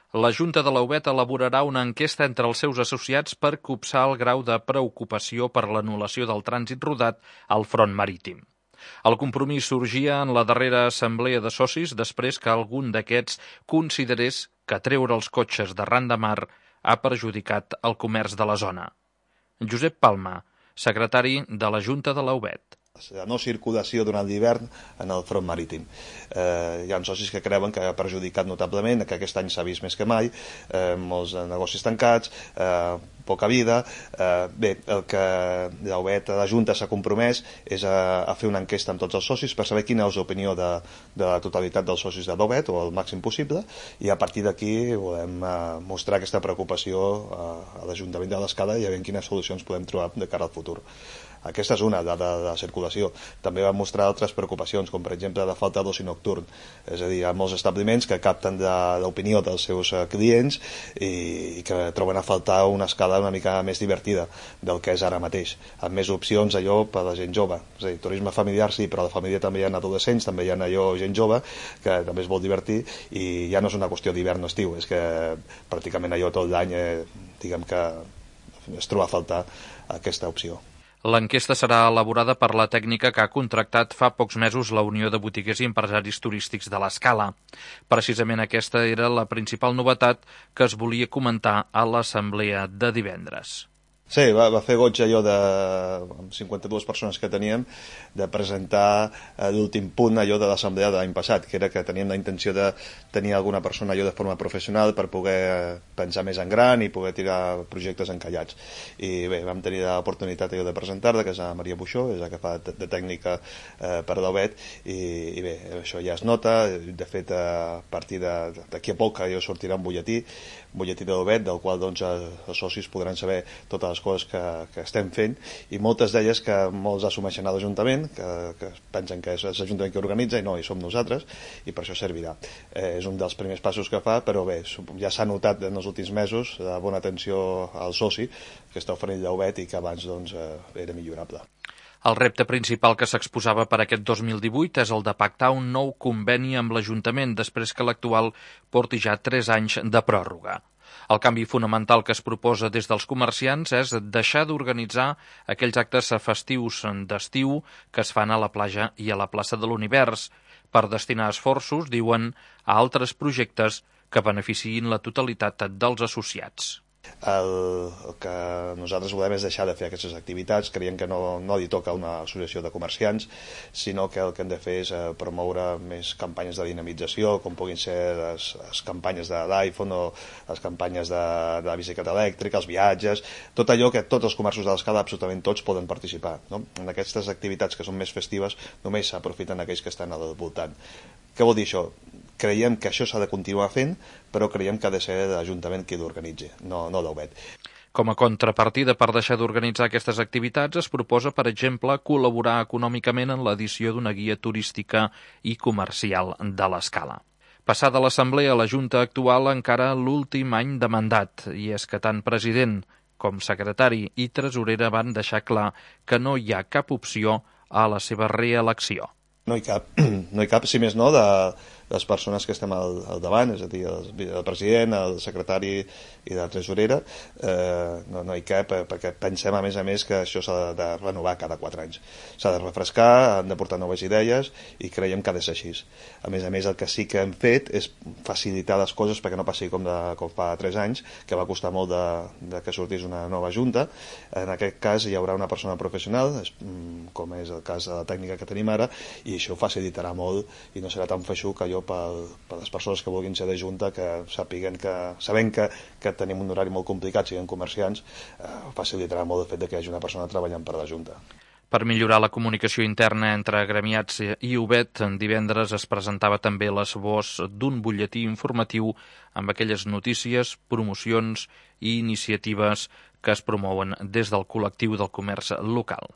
La Junta de l'Aubet elaborarà una enquesta entre els seus associats per copsar el grau de preocupació per l'anul·lació del trànsit rodat al front marítim. El compromís sorgia en la darrera assemblea de socis després que algun d'aquests considerés que treure els cotxes d'arran de mar ha perjudicat el comerç de la zona. Josep Palma, secretari de la Junta de l'Aubet. La no circulació durant l'hivern en el front marítim. Hi ha socis que creuen que ha perjudicat notablement, que aquest any s'ha vist més que mai, molts negocis tancats, poca vida. Bé, el que l'Aubet, la Junta s'ha compromès és a fer una enquesta amb tots els socis per saber quina és l'opinió de la totalitat dels socis de l'Aubet, o el màxim possible, i a partir d'aquí volem mostrar aquesta preocupació a l'Ajuntament de l'Escala i a veure quines solucions podem trobar de cara al futur. Aquesta és una, de la circulació. També va mostrar altres preocupacions, com per exemple la falta d'oci nocturn. És a dir, hi ha molts establiments que capten l'opinió dels seus clients i que troben a faltar una escala una mica més divertida del que és ara mateix, amb més opcions allò per a la gent jove. És a dir, turisme familiar sí, però a la família també hi ha adolescents, també hi ha allò gent jove que també es vol divertir, i ja no és una qüestió d'hivern o estiu, és que pràcticament allò tot l'any diguem que es troba a faltar aquesta opció. L'enquesta serà elaborada per la tècnica que ha contractat fa pocs mesos la Unió de Botiguers i Empresaris Turístics de l'Escala. Precisament aquesta era la principal novetat que es volia comentar a l'assemblea de divendres. Sí, va fer goig allò de 52 persones que teníem de presentar l'últim punt allò de l'assemblea de l'any passat, que era que teníem la intenció de tenir alguna persona allò de forma professional per poder pensar més en gran i poder tirar projectes encallats. I bé, vam tenir l'oportunitat allò de presentar-la, que és la Maria Buixó, és la que fa de tècnica per l'Aubet, i bé, això ja es nota. De fet, a partir d'aquí a poc allò sortirà un butlletí de l'Aubet, del qual doncs els socis podran saber totes les coses que estem fent, i moltes d'elles que molts assumeixen a l'Ajuntament, que pensen que és l'Ajuntament que organitza, i no, i som nosaltres, i per això servirà. És un dels primers passos que fa, però bé, ja s'ha notat en els últims mesos la bona atenció al soci que està oferint l'Aubet i que abans doncs, era millorable. El repte principal que s'exposava per aquest 2018 és el de pactar un nou conveni amb l'Ajuntament després que l'actual porti ja 3 anys de pròrroga. El canvi fonamental que es proposa des dels comerciants és deixar d'organitzar aquells actes festius d'estiu que es fan a la platja i a la plaça de l'Univers, per destinar esforços, diuen, a altres projectes que beneficiïn la totalitat dels associats. El que nosaltres volem és deixar de fer aquestes activitats. Creiem que no li toca a una associació de comerciants, sinó que el que hem de fer és promoure més campanyes de dinamització, com puguin ser les campanyes de l'iPhone o les campanyes de la bicicleta elèctrica, els viatges, tot allò que tots els comerços de l'Escala, absolutament tots, poden participar, no? En aquestes activitats que són més festives només s'aprofiten aquells que estan al voltant. Què vol dir això? Creiem que això s'ha de continuar fent, però creiem que ha de ser l'Ajuntament qui l'organitzi, no l'Aubet. Com a contrapartida per deixar d'organitzar aquestes activitats, es proposa, per exemple, col·laborar econòmicament en l'edició d'una guia turística i comercial de l'Escala. Passada l'assemblea, la Junta actual encara l'últim any de mandat, i és que tant president com secretari i tresorera van deixar clar que no hi ha cap opció a la seva reelecció. No hi cap, si més no, de les persones que estem al davant, és a dir, el president, el secretari i la tresorera, no hi cap, perquè pensem, a més, que això s'ha de renovar cada 4 anys. S'ha de refrescar, han de portar noves idees, i creiem que ha de ser així. A més, el que sí que hem fet és facilitar les coses perquè no passi com fa 3 anys, que va costar molt de que sortís una nova junta. En aquest cas hi haurà una persona professional, com és el cas de la tècnica que tenim ara, i això facilitarà molt i no serà tan feixuc allò per les persones que vulguin ser de junta, que sabent que tenim un horari molt complicat, siguin comerciants, facilitarà molt el fet que hi hagi una persona treballant per la junta. Per millorar la comunicació interna entre gremiats i Aubet, divendres es presentava també l'esbós d'un butlletí informatiu amb aquelles notícies, promocions i iniciatives que es promouen des del col·lectiu del comerç local.